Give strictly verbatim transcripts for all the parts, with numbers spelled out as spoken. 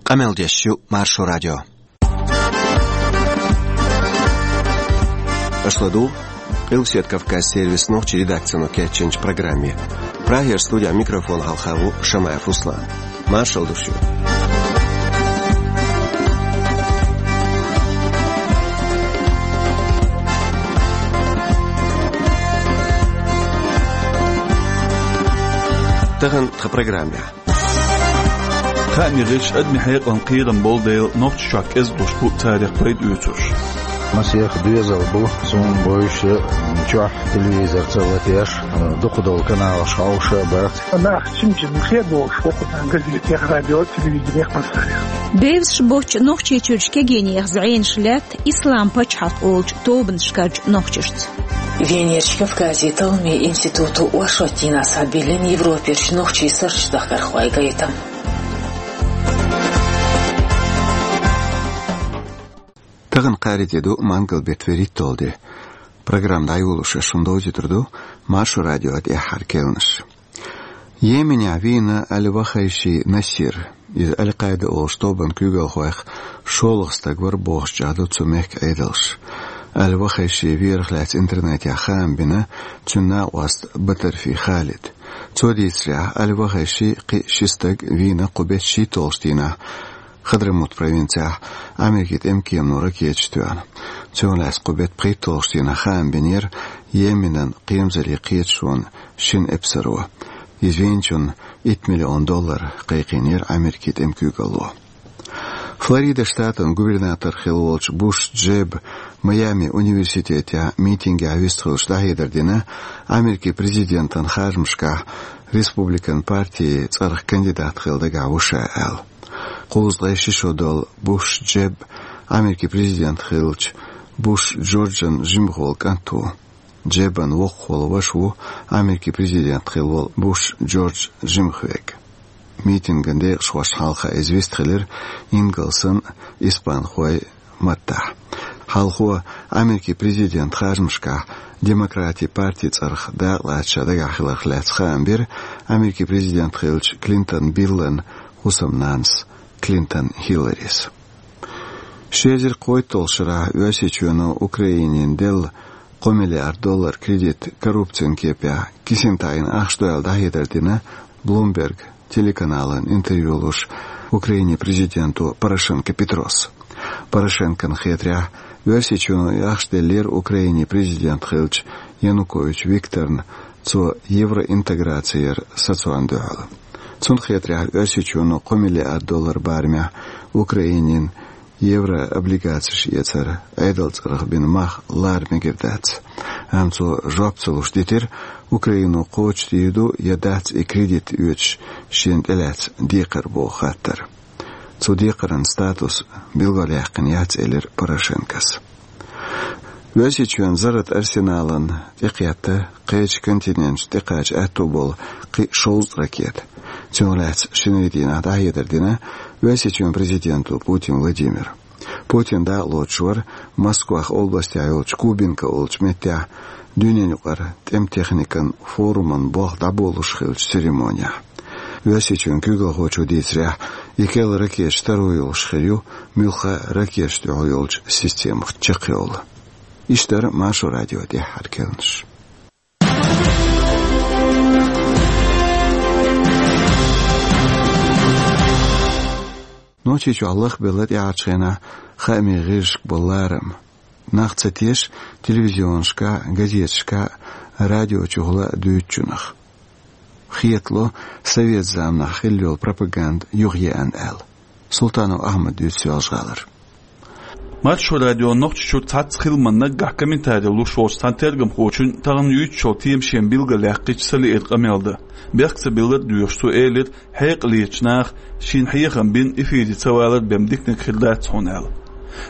Къамел деш ю Маршо радио. Аша ладугӀу Къилбаседа Кавказан сервисан нохчийн редакцино кечйинчу программе. Прагера студин микрофона хьалха ву Шамаев Руслан. Маршалла ду шуьга. Тахана тхан программехь. Хааман гӀирс адамийн хьекъална кхерам болу дела, нохчашка кӀезиг луш бу царах пайда оьцурш. Масех доьзал бу, суна бовзуш, чохь телевизор ца латош, дукха долу каналаш хьовсуш а бац. Нах чим-чим хедош ву кху газетех, радио, телевиденех массарех. Девзаш боцчу Нохчийчуьрчу кегийнех зӀенаш лаьтта Ислам пачхьалкх олучу тобанашкарчу нохчашца. Венерчу Кавказан талламийн институто оршот дийнахь схьабиллина Европерчу нохчийн сурташ дахкархойн гайтам. Тахана кхаарин де ду, мангал беттан вуьрхӀитталгӀа де. Программа дӀайолош шуна довзуьйтур ду Маршо радион тӀаьххьара керланаш. Йеменехь вийна Аль-Вахайши Насир. Иза Аль-Къаида олучу тобанан куьйгалхойх шолгӀа стаг вара бохуш чӀагӀдо цу мехкан Ӏедалша. Аль-Вахайшин верах лаьцна интернетехь хаам бина цуьнан накъост Батарфи Халида. Цо дийцарехь, Аль-Вахайши кхин ши стаг вийна кху беттан шийтталгӀачу дийнахь Хадрамут провинцехь Америкин тӀеман кемано ракеташ тоьхна. Цунах лаьцна кху беттан пхийтталгӀачу дийнахь хаам бинера Йеменан кхерамзаллин кхеташонан шина эпсаро. Иза вийначунна итт миллион доллар кхайкхийнера Америкин тӀеман куьйгалло. Флорида штатан губернатор хилла волчу Буш Джеба Майами университетехь митингехь вистхилча дӀахьедар дина, Америкин президентан харжамашкахь республикан партин цӀарах кандидат хила дагахь ву ша аьлла. Кхузткъе ши шо долу Буш Джеб Америкин президент хиллачу Буш Джорджан жимахволу кӀант ву. Джебан воккхахволу ваша ву Америкин президент хилла волу Буш Джордж жимахверг. Митинган декъашхошна хьалха иза вистхилира ингалсан а, испанхойн а маттахь. Хьалхо Америкин президент харжамашкахь Демократийн партин цӀарах дакъалаца ша дагахь хиларх лаьцна хаам бира Америкин президент хиллачу Клинтон Биллан хӀусамнанас Клинтон Хилларис. Ши эзар кхойтталгӀачу шарахь Оьрсийчоьно Украинина делла кхо миллиард доллар кредит коррупцин кепехь кисина таӀийна ахча ду аьлла дӀахьедар дина Bloomberg телеканалан интервью луш Украинин президенто Порошенко Петрос. Порошенкон хетарехь, Оьрсийчоьно и ахча деллера Украинин президент хиллачу Янукович Викторна цо евроинтеграци яр сацорна дуьхьал. Цунна хетарехь, Оьрсийчоьно кхо миллиард доллар барамехь Украинина еврооблигацеш эцар Ӏедалан цӀарах бина мах лара мегар дац. Амма цо жоп ца луш дитира, Украино кхочушдийр ду я дац и кредит оьцуш шена тӀелаьцна декхар боху хаттар. Цу декхаран статус билгалъяьккхина яц, элира Порошенкос. Оьрсийчоьнан зарратан арсеналан тӀекхетта кхечу континенташна тӀекхача аьтто болу кхин шовзткъа ракета. Цунах лаьцна шинарин дийнахь дӀахьедар дина Оьрсийчоьнан президенто Путин Владимира. Путин дакъалоцуш вара Москвахь областехь йолчу Кубинка олучу меттехь дуьненаюкъара тӀеман техникан форуман болх дӀаболалуш хиллачу церемонехь. Оьрсийчоьнан куьйгалхочо дийцарехь, и керла ракеташ таро йолуш хир ю, муьлхха а ракеташна тӀехь йолчу системах чекхйолу. Иштта дара Маршо радион тӀаьххьара керланаш. Нохчийчохь лахбелла тӀаьхьарчу хенахь хаамийн гӀирсашка болу ларам. Нах ца теша телевизионашкахь, газеташкахь, радиочухула дуьйцучунах. Хетало, совет заманахь хилла йолу пропаганда юхаеана аьлла. Султанов Ахьмада дуьйцу Соьлжа-ГӀалара. Маршо радион Нохчийчуьра цхьацца хиламан наггахь комментари луш волчу цхьана тергамхочунна тахана юьйцучу темашна билгалъяьккхича ца лиира къамел дан. Бехк ца биллар а доьхуш, цо элира, хьекъалечу наха шена хьехам бина эфире ца валар бен диканиг хир дац хьуна аьлла.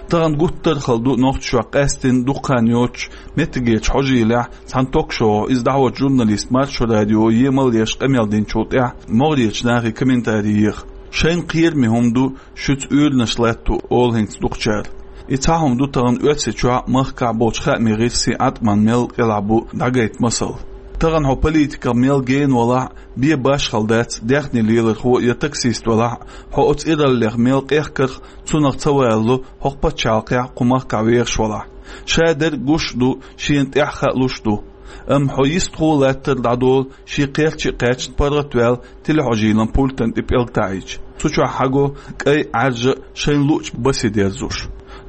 Тахана гуттар а хала ду нохчашкахь къаьсттина дукха хан йоццуш меттигерчу хьожийлехь цхьана ток-шоу, иза дӀахьочу журналиста Маршо радио емал еш къамел динчул тӀаьхьа могӀарерчу нахе комментари еха. Шайна кхераме хӀума ду шуьца уьйранаш латто, олу хӀинца дукхачара. И цхьа хӀума ду тахана Оьрсийчохь а, махкахь а болчу хаамийн гӀирсийн Ӏаткъаман мел кӀелахь бу дӀагайта масал. Тахана хьо политиках мел гена валахь а, бен башхала дац, даьхни лелархо я таксист валахь а, хьо оцу ираллех мел къехкарх, цунах ца валло хӀокху пачхьалкхехь, кху махкахь вехаш валахь. Ша дерг гуш а ду, шена тӀаьхьа хаалуш а ду. Амма хьо йистхула латтар дӀадолу, шен кхерча а кхаьчна паргӀатваьлла, телехьожийлан пультан тӀе пӀелг таӀийча. Цу чохь хьаго кӀай, Ӏаьржа, шайна луъучу басе дерзуш.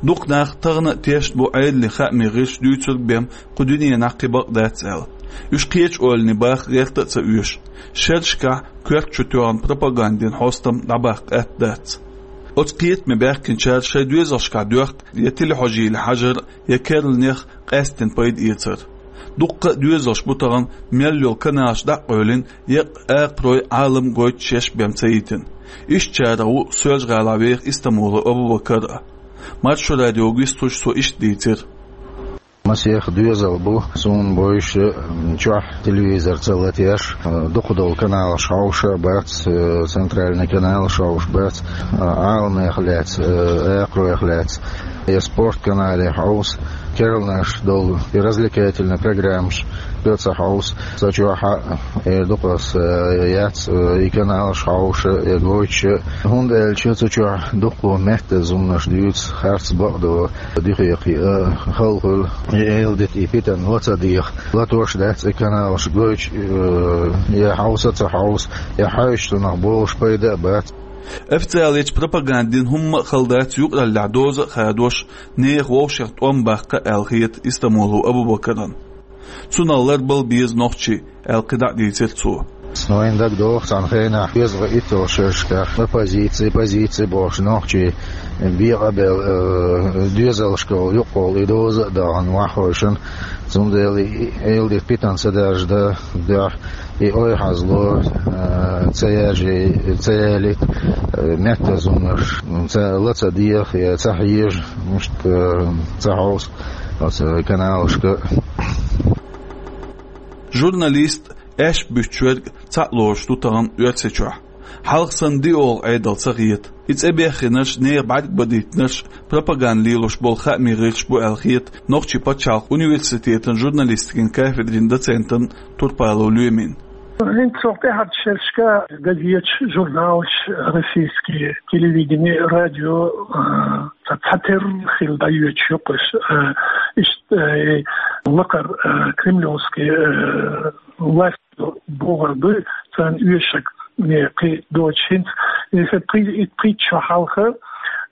Дукха нах тахана а тешна бу Ӏедалан хаамийн гӀирсаша дуьйцург бен кху дуьненахь кхин бакъ дац аьлла. Уьш кхечу ойланийн баха гӀерта а ца оьшу. Шерашкахь коьрта чу тоьхна пропагандин хьостам дӀабаккха атта дац. Оцу кхетаме баьхкинчара шайн доьзалшкахь доьхку я телехьожийле хьажар, я керланех къаьсттина пайда эцар. Дуккха а доьзалш бу тахана мел йолу каналаш дӀа а къевлина, еккъа акхарой, Ӏалам гойтуш еш бен ца йитина. Ишттачарах ву Соьлжа-ГӀалахь веха Истамулов Абубакар а. Маршо радиога вистхуьлуш цо иштта дийцира. Масех доьзал бу, суна бовзуш, чохь телевизор ца латош, дукха долу каналаш хьовша а бац, центральный каналаш хьовша бац, Ӏаламех лаьцна, акхаройх лаьцна, я спорт каналех хьовса, керланаш долу, и развлекательный программаш га ца хьовса. Сан чохь а, э, дукха аса, э, яц, э, и каналаш хьовша, э, гойтуш а. ХӀунда аьлча цу чохь дуккха меттаза хӀуманаш дуьйцу, харц бакъдо, дуьхе кхиа, э, хала хуьлу. И эладита, и питана ла ца деха. Латош дац и каналаш гойтуш, э, я хьовса а ца хьовса, я хьаьвсича цунах болуш пайда а бац. Официалечу пропагандин хӀумма а хала дац юкъараллехь доза а хадош, нехан вовшех тӀом баккха аьлла хета Истамулов Абубакарна. Цунах ларбала беза нохчий, аьлла кхидӀа а дийцира цо. Но вайна дагадогӀу цхьана хенахь, доьзалхойн итталгӀачу шерашкахь оппозици, позици бохуш нохчий бен къабел, э, доьзалшкахула юкъахула и доза а дахана ваххойшна. Цундела и эладита питана ца даржа дан дуьхьа, и ойхьазло, э, ца яжи, ца ялийта, э, меттаза хӀуманаш ца, ла ца деха, я ца хьежа, мишта, э, ца хьовса оцу каналашка. Журналист, аьшпаш буьттуш верг цхьаъ лоруш ду тахана Оьрсийчохь. Хьалха санна диъолгӀа Ӏедал ца хета. И цӀе беххинарш, нехан бӀаьрг бадийтинарш пропаганда лелош болу хаамийн гӀирсаш бу аьлла хета нохчийн пачхьалкхан университетан журналистикин кафедрин доцентана Турпалов Лоьмина. ХӀинца цунах тӀаьхьарчу шерашкахь газеташ, журналаш, российский телевидение, радио, а, ца, цхьатерра хилла дӀайоьдуш ю-кх уьш, а, иштта, э, лакхара, э, кремлевский, э, власть бохург ду, царна оьшург, э, кхин доцуш хӀинца. Иза пхи-, и пхийтта шо хьалха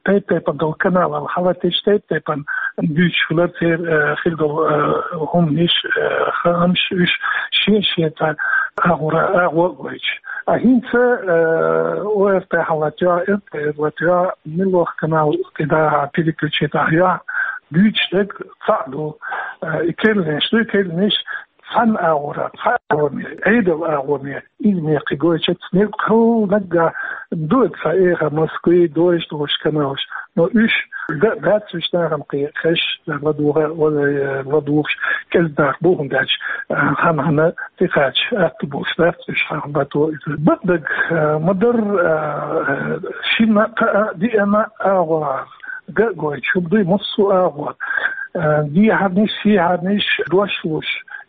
тайп-тайпана долу каналал хьалатийча, тайп-тайпана дуьйцуш хилар церан, э, хир долу, э, хӀуманаш, э, хаамаш, уьш шен-шен цхьа агӀора агӀо а гойтуш. А хӀинца, э, ОРТ хьалатоьхна, РТР латоьхна, муьлхха канал кхидӀа переключить ахь йохь, дуьйцуш дерг цхьаъ ду, э, и керланаш ду, и керланаш цхьана агӀора, цхьа агӀоне, Ӏедалан агӀоне, иза мекхи гойтуш, наггахь ду цхьа эха Москве, дойуш долуш каналаш. Но уьш дан а дац, уьш нахана кхин хезаш, ладугӀа, ладугӀуш, кӀезиг нах бу, хӀунда аьлча, а, хьан-хьанна тӀекхача атта болуш дац уьш, хьан бато иза. Бакъдерг, а, ма-дарра, а, шина а, диъана а агӀор га а гойтуш, хӀума дуй массо а агӀор. А, дехьарнаш, сехьарнаш, дош луш,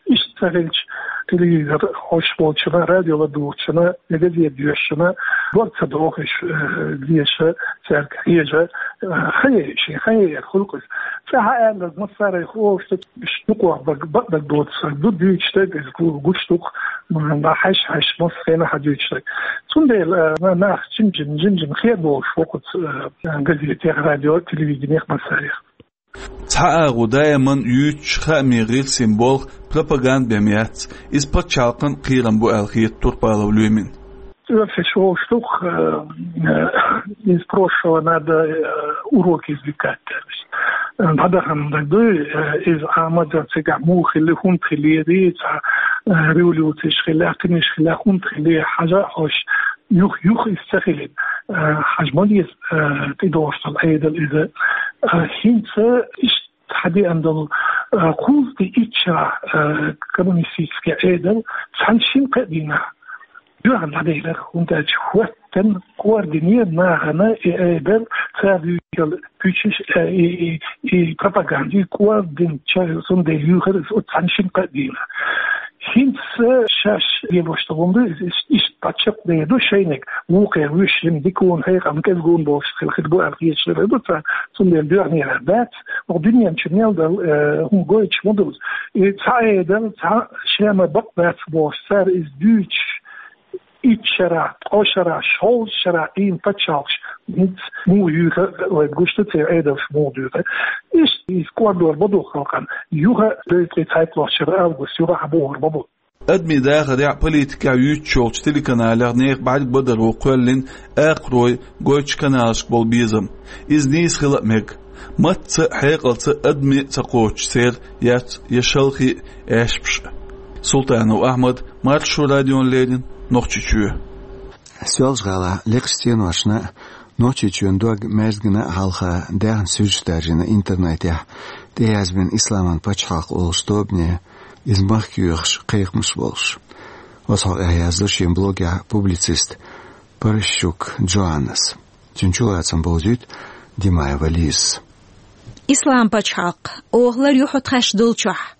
иштта ца хилча, телевизор хьоьжуш волчунна, радио ладугӀучунна, я газета доьшучунна дог ца дохуш, э, деша, цаьрга хьежа, э, хан яй шен, хан яй хуьлу-кх иза. ЦӀе хьааьлларг массарах олуш ду, уьш дукхох бакъдерг доцург ду, дуьйцуш дерг иза гу-, гуш ду-кх, м, хьаьш-хьаьш массо а хенахь хьадуьйцуш дерг. Цундела, э, нах жим-жим, жим-жим хер болуш ву-кх оцу, э, газетех, радио, телевиденех массарех. Цхьа агӀо даиман юьйцуш хаамийн гӀирсийн болх пропаганда бен яц, иза пачхьалкхан кхерам бу аьлла хета Турпалов Лоьмина. Оьрсаша олуш ду-кх, э, э, из прошлого надо, э, уроки извлекать аьлла. Э, дӀадахана даг дуй, э, иза Ӏамадан цигахь муха хили, хӀунда хилири, цхьа, э, революцеш хилла, кхиниш хилла, хӀунда хили, хьажа а хьожуш, юха, юха иза ца хилийта, э, хьажа ма деза, э, тӀедогӀуш долу Ӏедал иза. Э, хӀинца иштта хьадеана долу, э, кхузткъе итт шарахь, э, коммунистический Ӏедал цхьана шина-кхаа дийнахь доьхна дӀаделира, хӀунда аьлча хӀоьттина кӀордийна нахана и Ӏедал, цара дуьйцуш йолу куьйгаш, э, и, и, и пропаганда, и кӀордийна ча, цундела юьйхира иза оцу цхьана шина-кхаа дийнахь. ХӀинца шаьш лелош долу хӀума ду, иза иштта, иштта паччахь дӀа ду шайниг, вукхара вуьш жима дика вон, хьекъална кӀезиг вон болуш хила хир бу аьлла хеташ хир ду цара, цундела доьхнера дац, оха дуьнен чу мел дала, э, хӀума гойтуш ма ду. И цхьа Ӏедал, цхьа Шема бакъ дац бохуш, цара иза дуьйцуш, итт шарахь, ткъа шарахь, шовзткъа шарахь Ӏийна пачхьалкхаш, хӀинца муха юьйхира, вайна гуш ду церан Ӏедалш муха дуьйхира. Иштта иза кӀордор ма ду халкъана, юха а, дезткъе цхьайтталгӀачу шарахь август юха а хьабохур ма бу. Адамийн дахарехь а, политикехь а юьйцуш йолчу телеканалех нехан бӀаьрг бадаро кхоьллина акхарой гойтучу каналашка болу безам. Иза нийса хила а мега. Матца а, хьекъалца а адаме а ца кхочуш церан яц я шалхе а, аьшпаш а. Султанов Ахьмад, Маршо радиона леррина, Нохчийчоь. Соьлжа-ГӀалахь лекхачу стеношна а, Нохчийчоьнан дог маьждигна а хьалха даьхна суьрташ даржийна интернетехь, тӀеязбина «Исламан пачхьалкх» олучу тобане, иза махка йоьхуш кхайкхамаш болуш. Оцу хьокъехь яздо шен блогехь публицист Паращук Джоаннас. Цуьнан чулацам бовзуьйту Димаева Лизас. «Ислам пачхьалкх, оха лар ю хьо тхаьш долчохь».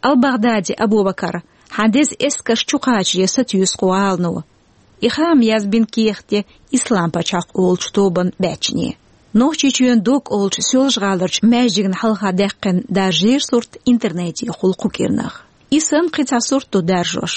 Ал-Багъдади Абу-Бакар, хьан деза эскарш чу кхачаре сатуьйсу кху гӀалано. И хаам язбина кехат ю «Ислам пачхьалкх» олучу тобанан баьччане. Нохчийчоьнан дог олучу Соьлжа-ГӀаларчу маьждигна хьалха даьккхина даржера сурт интернетехула кху кӀирнах. И санна кхин цхьа сурт ду даржош.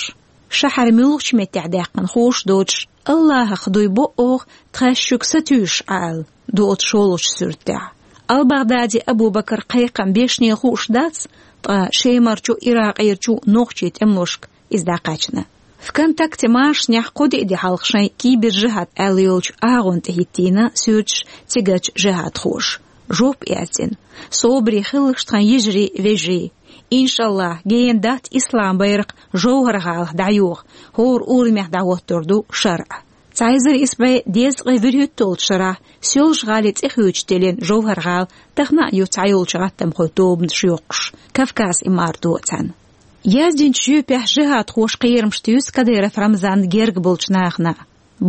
Шахьар муьлхачу меттехь даьккхина хууш доцуш, «Аллахах дуй бо оха тхаьш шуьга сатуьйсуш Ӏа» аьлла, доцу шолгӀачу суьртехь. Ал-Багъдади Абу-Бакар кхайкхам бешне хууш дац, ткъа Шемарчу, Иракъерчу нохчийн тӀемалошка иза дӀакхаьчна. ВКонтакте машанехь кхо-диъ де хьалха шайн «Кибер-жихӀад» аьлла йолчу агӀонна тӀе хӀиттийна суьрташ цигарчу жихӀадхоша. Жоп а яздина: «Собаре хилалаш, тхан йижарий, вежарий. Иншаллахь, гена дац ислам байракх ЖовхӀар-гӀалахь дӀайоха, хӀора урамехь дӀахӀоттор ду шарӀ». Цхьа эзар исс бӀе дезткъе вуьрхӀитталгӀачу шарахь Соьлжа-ГӀалин цӀе хуьйцуш тиллина ЖовхӀар-гӀала тахана а ю цхьайолчу гӀаттамхойн тобанаш йоккхуш, Кавказ имаратан цӀарна. Яздинчу жоьпехь жихӀадхоша кхерамаш туьйсу Кадыров Рамзанна герга болчу нахана.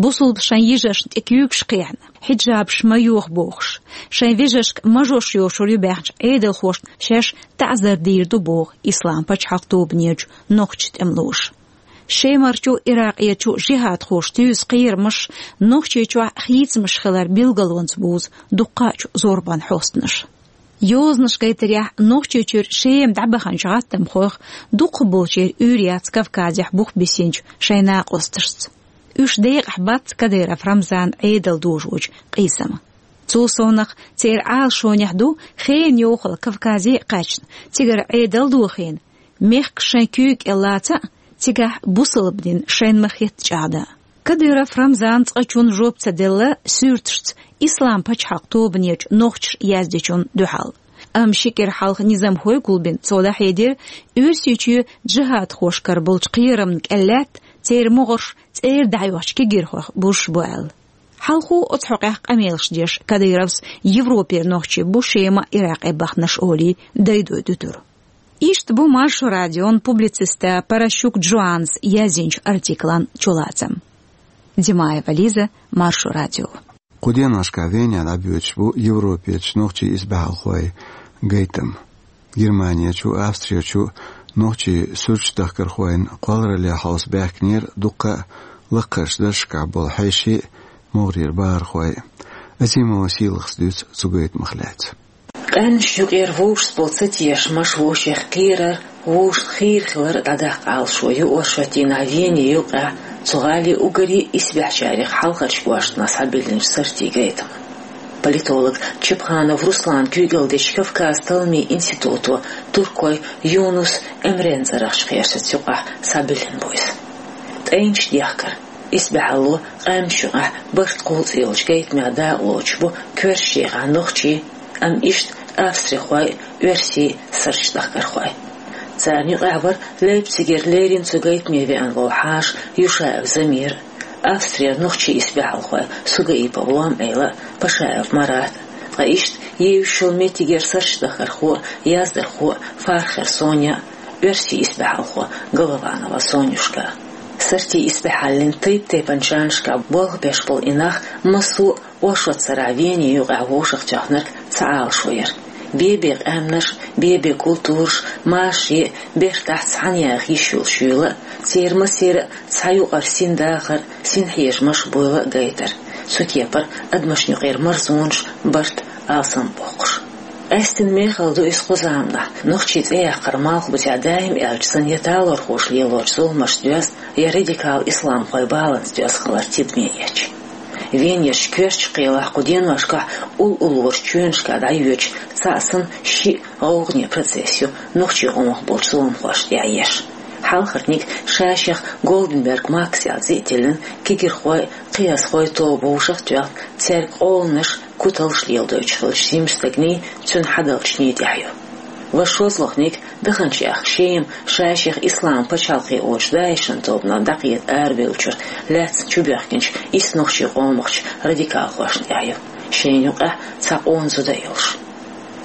Бусулба шайн йижаршна тӀе куьйгаш кхехьна, хьиджабаш ма йоха бохуш, шайн вежаршка мажош йошур ю баьхначу Ӏедалхошна шаьш таӀзар дийр ду боху «Ислам пачхьалкх» тобанерчу нохчийн тӀемалоша. Шемарчу, Иракъерчу жихӀадхоша туьйсу кхерамаш Нохчийчохь хийцамаш хилар билгалонца бузу дуккхачу зорбанан хьостанаша. Йозанаш гайтарехь, Нохчийчуьра Шема дӀабаханчу гӀаттамхойх дукхахболчеран уьйр яц Кавказехь бух бисинчу шайн накъосташца. Уьш декъахь бац Кадыров Рамзанан Ӏедал дожочу къийсама. Цул совнаха, церан Ӏалашонехь ду хенан йовхал Кавказе а кхаьчна, цигара Ӏедал дохийна, мехкаш шайн куьйга кӀел лаца а, цигахь бусалба дин шайна ма-хетта чӀагӀдан. Кадыров Рамзана цкъачунна жоп ца делла суьрташца «Ислам пачхьалкх» тобанерчу нохчаша яздечунна дуьхьал. Амма ши кӀира хьалха низамхой гулбина цо дӀахьедира, Оьрсийчоь жихӀадхошкара болчу кхерамна кӀел лаьтта, церан могӀарш цӀера дӀахьоьхучу кегирхойх бузуш бу аьлла. Хьалхо оцу хьокъехь къамелаш деш Кадыровс Европера нохчий бу Шема а, Иракъе а баханарш олий, дайдой дуьтура. Иштта бу Маршо радион публициста Паращук Джоаннас яздинчу артиклан чулацам. Димаева Лиза, Маршо радио. Кху деношкахь Венехь дӀабоьдуш бу Европерчу нохчийн исбаьхьалхойн гайтам. Германерчу, Австрерчу нохчийн суьрташ дахкархойн кхолларалле хьовса баьхкинера дуккха а лакхарчу даржашкахь болу хьеший а, могӀарера бахархой а. Азимова Сийлахас дуьйцу цу гайтамах лаьцна. Къаьмнаш юкъера вовшашца болу ца тешамаш, вовшех кхерар, вовшашна хийра хилар дӀадаккха Ӏалашо ю оршотдийнахь Вене юкъахь цу гӀалин уггаре исбаьхьачарех хьалхарчу кӀоштана схьабиллинчу сортийн гайтаман. Политолог Чепханов Руслана куьйгалла дечу Кавказ-талламийн институто туркойн Юнус Эмрен цӀарахчу кхерсаца юкъахь схьабиллина бу иза. ТӀайнаш дехкар, исбаьхьалло къаьмнаш юкъахь барт кхуллу цӀе йолчу гайтамех дакъалоцуш бу коьртачу декъехь нохчий, амма иштта австрихой а, оьрсий а, сорташ дахкархой. Царна юкъахь вара Лейпцигера леррина цу гайтаме веана волу хьаша Юшаев Замир, Австрера нохчийн исбаьхьалхой Сугаипов Лом-Ӏела а, Пашаев Марат а, ткъа иштта евзаш йолу меттигера сорташ дахкархо а, яздархо а Фархер Соня а, оьрсийн исбаьхьалхо Голованова Сонюшка. Сортийн исбаьхьаллин тайп-тайпанчу жанрашкахь болх беш болу и нах массо а оршотан сарахь Вене юкъахь вовшахтоьхнарг цхьа Ӏалашо яра. Бе-бе къаьмнаш, бе-бе культураш, маши, бертахь цхьаьна яха йиш йолуш йийла, церан массеран а цхьа юкъара син дахар, син хьежамаш буйла гайтар. Цу кепара адамашна юкъера марзонаш, барт, алсам боккхуш. Къаьстина мехала ду иза кху заманахь, нохчийн цӀе яккхар малхбузехь даим аьлча санна я талорхоша лелорчу зуламашца доьзна, я радикал исламхойн баланца доьзна хилар тидаме эцча. Венерчу коьртачу кхелахь кху деношкахь уллорчу чоьнашкахь дӀайоьдучу цхьаъ санна шиъ гӀовгӀане процесс ю нохчийн къомах болчу зуламхошна тӀехь еш. Хьалхарниг ша-шех Голденберг Макс аьлла цӀе а тиллина, кегирхой, кхиазхой тоба вовшах а тоьхна, цаьрга къоланаш, куталш леладойтуш хиллачу жимачу стагний, цуьнан хьадалчний тӀехь ю. Ва шозлагӀниг, даханчу ахка Шема, ша-шех Исламан пачхьалкхе олучу ДАИШан тобанах дӀакхета арабевллачуьра лаьцна чубоьхкинчу исс нохчийн къомахчу радикалхошна тӀехь ю, шайна юкъахь цхьа къона зуда а йолуш.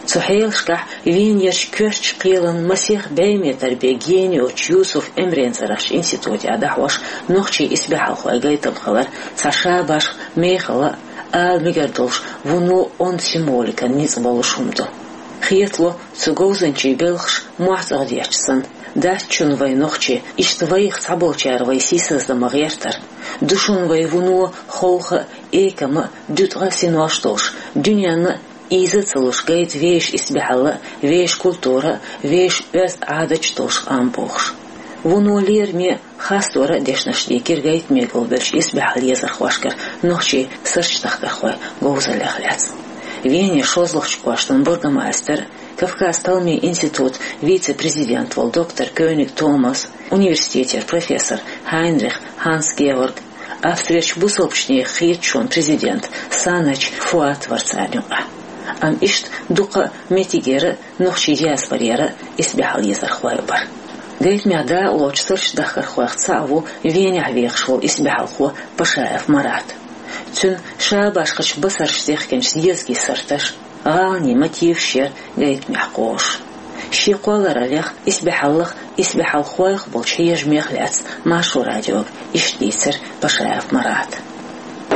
Цу хьелашкахь Венерчу коьртачу кхелан масех бӀе метр бен гена йоцучу Юсуф Эмрен цӀарахчу институтехь дӀахьош нохчийн исбаьхьалхойн гайтам хилар цхьа шабашха, мехала а, ала мегар долуш, вуно онда символикан ницкъ болуш хӀума ду. Хетало, цу говзанчийн белхаш мохь цӀогӀа детташ санна, дац шуна вай нохчий, иштта вайх цхьаболчара вай сийсаздан ма гӀертара. Ду шуна вай вуно ховха а, экама а, дуьткъа а синош долуш, дуьненна а ийза а ца луш гайта вешан исбаьхьалла а, вешан культура а, вешан оьзда Ӏадаташ а долуш къам бохуш. Вуно лераме а, хастора а дешнаш дийкира гайтаме гулбеллачу исбаьхьалла езархошкара нохчийн суртдахкархойн говзаллех лаьцна. Венера шозлагӀчу кӀоштан бургомайстер, Кавказ-Талмийн институтан вице-президент волу доктор Кёниг Томас, университетера профессор Хайнрих Ханс-Георг, Австрерчу бусалбачу нехан хеташонан президент Санач Фуат вара царна юкъахь. Амма иштта дукха а меттигера а, нохчийн диаспорера а исбаьхьалла езархой а бара. Гайтамехь дакъалоцучу суртдахкархойх цхьаъ ву Венехь вехаш волу исбаьхьалхо Пашаев Марат. Цуьнан шабашхачу басарша дехкинчу дезгийн сурташ, гӀаланийн мотиваш яра гайтамехь кхоьруш. Шен кхоллараллех, исбаьхьаллах, исбаьхьалхойх болчу хьежамех лаьцна Маршо радиога иштта дийцира Пашаев Марата.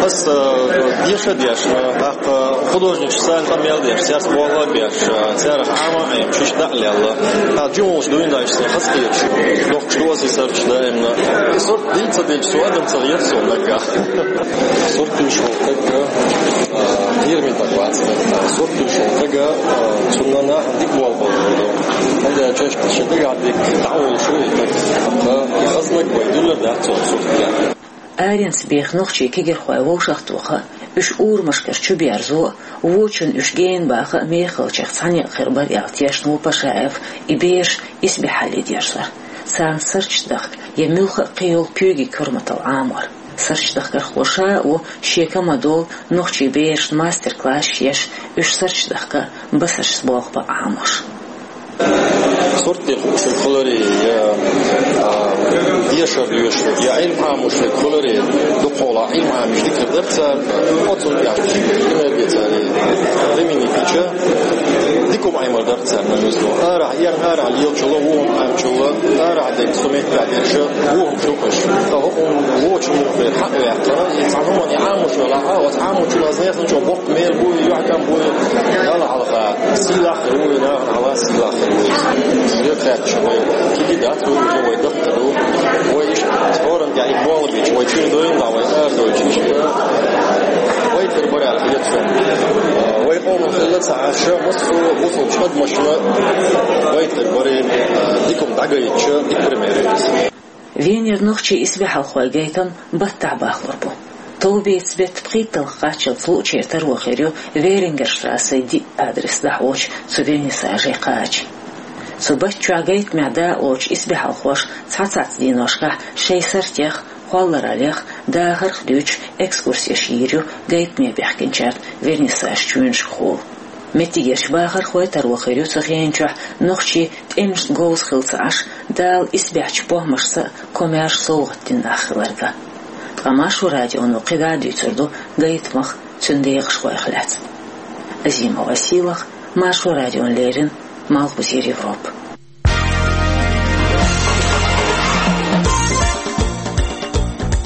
Ас, э, деша дешна, тӀаккха художник санна къамел деш, цец болла беш, царах Ӏама а Ӏемаш, иштта дӀа а лелла. ТӀаккха жималш дуьйна дайша, сан хаза кхеташ, доккхуш доций сурташ даимна. И сурт дийца дечу со адам ца гӀерта суна наггахь. Сурт туьйш волу стаг, а, кхераме стаг вац. Сурт туьйш волу стаг, а, цунна нахана дика болх бан ду. ХӀунда аьлча шен дагахь дерг дӀаволуш ву и стаг. Ткъа и хаза стаг вай дуьллур дац цунна сурт тӀехь. Аренца беха нохчийн кегирхой вовшахтоха а, уьш урамашкара чуберзо а, вочунна уьш гена баха а мехалчех цхьаьна некъ хир бара аьлла тешна ву Пашаев и бераш исбаьхьалле дерзор. Царна сурташ дахка я муьлхха а кхин йолу куьйгийн корматалла Ӏамор. Суртдахкархо ша а ву шен командо нохчийн берашна мастер-классаш еш, уьш суртдахка а, басаршца болх бан Ӏамош. Сурт тӀе хууш верг хиларе, я, а, дешар доьшуш верг, я Ӏилма Ӏамош верг хиларе, дукхахьолахь Ӏилма Ӏамийча дика хир дара цара, оцунна тӀехь шиъ пример де цара, применить дича, дика хӀума Ӏемар дара царна муьзло. Арахь, ерна арахь лелачул а, вон Ӏамчул а, арахь дерг со меттехь дерша, вон хӀума шу кхуьш. Ткъа хӀокхунна вочу муха вер хьакъ ваьккхина, и цхьа хӀуманна Ӏамош велахь а, оцу Ӏамочунах несан чӀогӀа боккха мел бу, юьхькӀам бу, Далла хьалха сийлахь хир ву, нахана хьалха сийлахь хир ву иза. Иза хаьттича вай кхин дац, вай уже вай дахка ду. Вай иштта хӀоранна тӀехь и болх бича, вай чуьра дойла, вай арадойчу иштта. Вай тера бара аьлла хета суна. Вай къоман хилла ца Ӏаш, массо а бусалбачу адамашна вай тера баре, дика хӀума дӀагайтича, дика пример ю иза. Венера нохчийн исбаьхьалхойн гайтам баттахь бахлур бу. Товбеца беттан пхийтталгӀа кхаччалц луъучеран таро хир ю Верингерштрассе диъ адрес дӀахьочу цу вернисажан кхача. Цу батта чохь гайтамехь дакъалоцучу исбаьхьалхоша цхьацца дийношкахь шайн суртех, кхоллараллех, дахарх дуьйцуш экскурсеш йийр ю гайтаме баьхкинчарна вернисажан чоьнашкахула. Меттигерчу бахархойн таро хир ю цу хенан чохь нохчий тӀемашна говза хилла ца Ӏаш, Дала исбаьхьчу похӀмашца а, комаьрша совгӀат дина нах хиларга. Ткъа Маршо радионо кхидӀа а дуьйцур ду гайтамах, цуьнан декъашхойх лаьцна. Азимова Сийлаха, Маршо радиона леррина, Малхбузера Европа.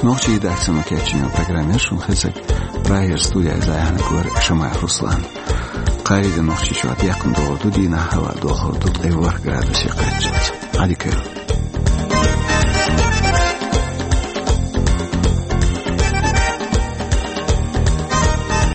Нохчийн редакцино кечйина программа шуна хезира. Прагера студехь иза Ӏехнарг вара Шамаев Руслан. Ари да Нохчийчохь декхна догӀур ду, дийнахь хӀаваъ дохур ду ткъе ворхӀ градусе кхаччалц. Ӏадика йойла.